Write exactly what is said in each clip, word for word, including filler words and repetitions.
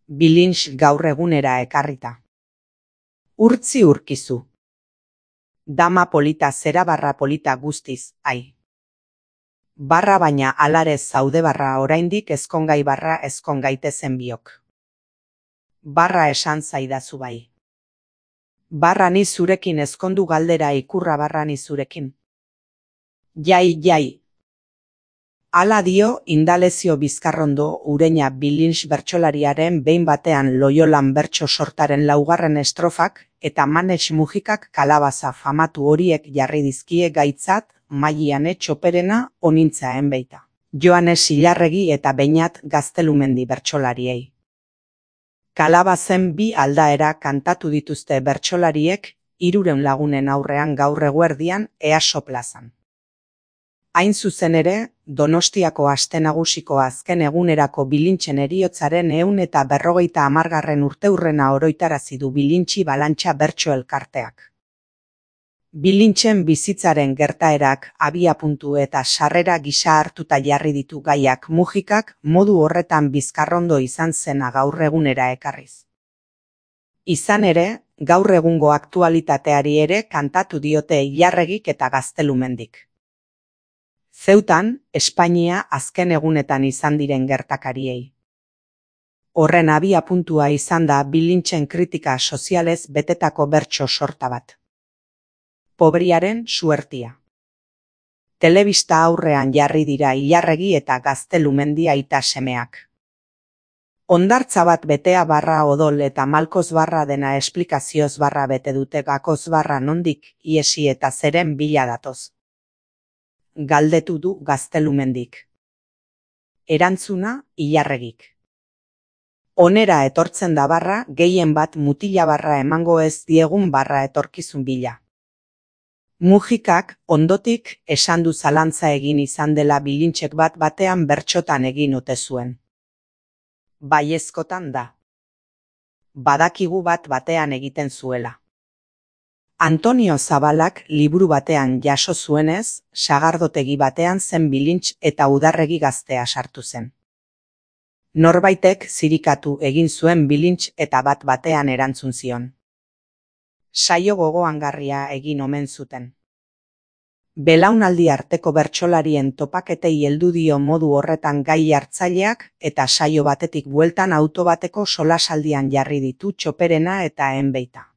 Bilintx gaur egunera ekarrita. Urtzi urkizu. Dama polita zera barra polita guztiz, ai. Barra baina alarez zaude barra oraindik ezkongai barra ezkon gaitezen biok. Barra esan zaidazu bai. Barra ni zurekin ezkondu galdera ikurra barra ni zurekin. Jai, jai. Hala dio Indalezio Bizkarrondo Ureña Bilintx bertsolariaren behin batean Loiolan bertso sortaren laugarren estrofak eta Manetx Mujikak kalabaza famatu horiek jarri dizkie gaitzat Maiane Txoperena onintzaen beita. Joanes Ilarregi eta Beñat Gaztelumendi bertsolariei. Kalabazen bi aldaera kantatu dituzte bertsolariek hirurehun lagunen aurrean gaur eguerdian Easo plazan. Hain zuzen ere, Donostiako aste nagusiko azken egunerako Bilintxen heriotzaren ehun eta berrogeita hamargarren urteurrena oroitarazi du Bilintxi Balantxa bertso elkarteak. Bilintxen bizitzaren gertaerak abiapuntu eta sarrera gisa hartuta jarri ditu gaiak Mujikak modu horretan Bizkarrondo izan zena gaur egunera ekarriz. Izan ere, gaur egungo aktualitateari ere kantatu diote Ilarregik eta Gaztelumendik. Zeutan, Espainia azken egunetan izan diren gertakariei. Horren abiapuntua izan da Bilintxen kritika sozialez betetako bertso sorta bat. Pobriaren suertia. Telebista aurrean jarri dira Ilarregi eta Gaztelumendi aita semeak. Hondartza bat betea barra odol eta malkoz barra dena esplikazioz barra bete dute gakoz barra nondik iesi eta zeren bila datoz. Galdetu du Gaztelumendik. Erantzuna Ilarregik. Onera etortzen da barra, gehien bat mutila barra emango ez diegun barra etorkizun bila. Mujikak ondotik esan du zalantza egin izan dela Bilintxek bat batean bertxotan egin ote zuen. Baiezkotan da. Badakigu bat batean egiten zuela. Antonio Zabalak liburu batean jaso zuenez, sagardotegi batean zen Bilintx eta Udarregi gaztea sartu zen. Norbaitek zirikatu egin zuen Bilintx eta bat batean erantzun zion. Saio gogoangarria egin omen zuten. Belaunaldi arteko bertsolarien topaketei heldu dio modu horretan gai hartzaileak eta saio batetik bueltan auto bateko solasaldian jarri ditu Txoperena eta enbeita.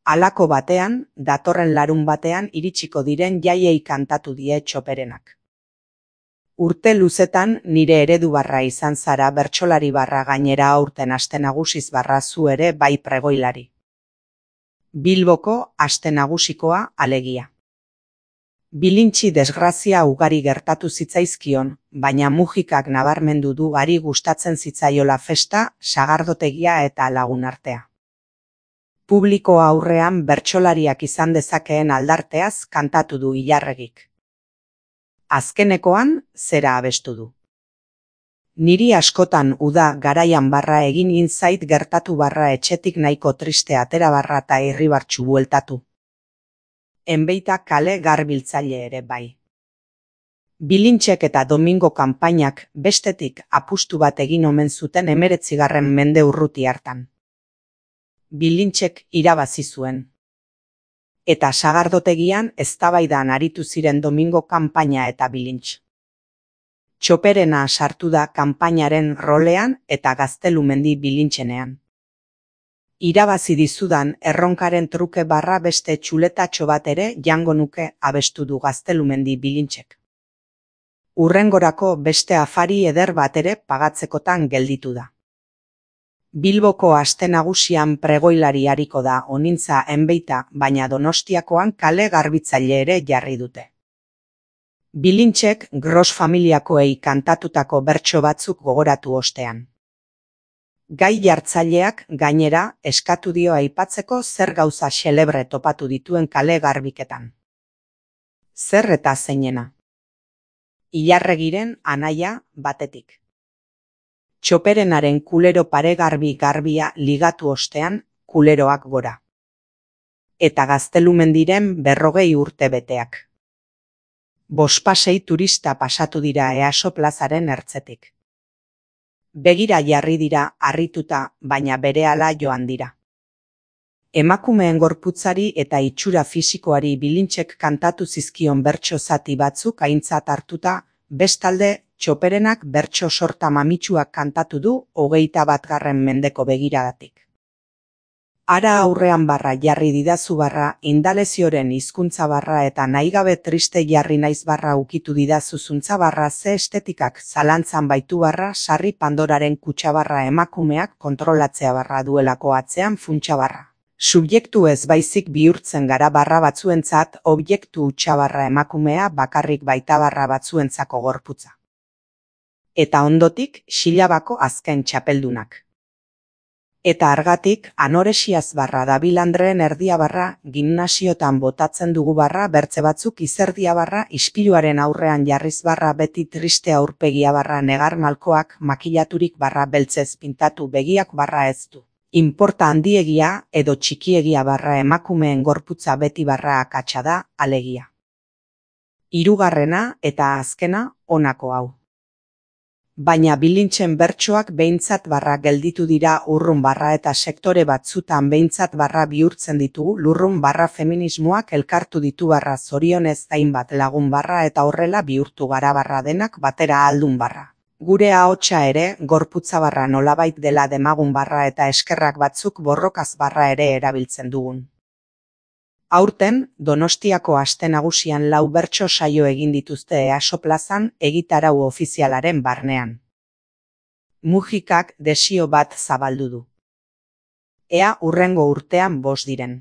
Halako batean, datorren larun batean iritsiko diren jaiei kantatu die Txoperenak. Urte luzetan nire eredu barra izan zara bertsolari barra gainera aurten aste nagusiz barra zu ere bai pregoilari. Bilboko aste nagusikoa alegia. Bilintxi desgrazia ugari gertatu zitzaizkion, baina Mujikak nabarmendu du gari gustatzen zitzaiola festa, sagardotegia eta lagun artea. Publiko aurrean bertsolariak izan dezakeen aldarteaz kantatu du Ilarregik. Azkenekoan zera abestu du. Niri askotan uda garaian barra egin inzait gertatu barra etxetik nahiko triste atera barra eta irribartsu bueltatu. Enbeita kale garbiltzaile ere bai. Bilintxek eta Domingo kanpainak bestetik apustu bat egin omen zuten hemeretzigarren mende urruti hartan. Bilintxek irabazi zuen. Eta sagardotegian eztabaidan aritu ziren Domingo kanpaina eta Bilintx. Txoperena sartu da kanpainaren rolean eta Gaztelumendi Bilintxenean. Irabazi dizudan erronkaren truke barra beste txuletatxo bat ere jango nuke abestu du Gaztelumendi Bilintxek. Urrengorako beste afari eder bat ere pagatzekotan gelditu da. Bilboko aste nagusian pregoilari ariko da onintza enbeita, baina Donostiakoan kale garbitzaile ere jarri dute. Bilintxek Gros familiakoei kantatutako bertso batzuk gogoratu ostean. Gai jartzaileak gainera eskatu dio aipatzeko zer gauza xelebre topatu dituen kale garbiketan. Zer eta zeinena. Ilarregiren anaia batetik. Txoperenaren kulero paregarbi garbia ligatu ostean kuleroak gora. Eta Gaztelumendiren berrogei urte beteak. Bospasei turista pasatu dira Easo plazaren ertzetik. Begira jarri dira, harrituta, baina berehala joan dira. Emakumeen gorputzari eta itxura fisikoari Bilintxek kantatu zizkion bertso zati batzuk aintzat hartuta, bestalde, Txoperenak bertso sorta mamitsuak kantatu du hogeita batgarren mendeko begiradatik. Ara aurrean barra jarri didazu barra, indalezioren hizkuntza barra eta nahigabe triste jarri naiz barra ukitu didazu zuntza barra ze estetikak zalantzan baitu barra sarri Pandoraren kutxa barra emakumeak kontrolatzea barra duelako atzean funtsa barra. Subjektu ez baizik bihurtzen gara barra batzuentzat, objektu hutsa barra emakumea bakarrik baita barra batzuentzako gorputza. Eta ondotik, Xilabako azken txapeldunak. Eta argatik, anoresiaz barra dabil Andreen erdia barra, gimnasiotan botatzen dugu barra, bertze batzuk izerdia barra, ispiluaren aurrean jarriz barra beti triste aurpegia barra negar malkoak, makilaturik barra beltzez pintatu begiak barra ez du. Inporta handiegia edo txikiegia barra emakumeen gorputza beti barra akatsa da, alegia. Hirugarrena eta azkena honako hau. Baina Bilintxen bertsoak behintzat barra gelditu dira urrun barra eta sektore batzutan behintzat barra bihurtzen ditugu lurrun barra feminismoak elkartu ditu barra zorionez hainbat lagun barra eta horrela bihurtu gara barra denak batera aldun barra. Gure ahotsa ere, gorputza barra nolabait dela demagun barra eta eskerrak batzuk borrokaz barra ere erabiltzen dugun. Aurten, Donostiako aste nagusian lau bertso saio egin dituzte EASO plazan egitarau ofizialaren barnean. Mujikak desio bat zabaldu du. Ea hurrengo urtean bost diren.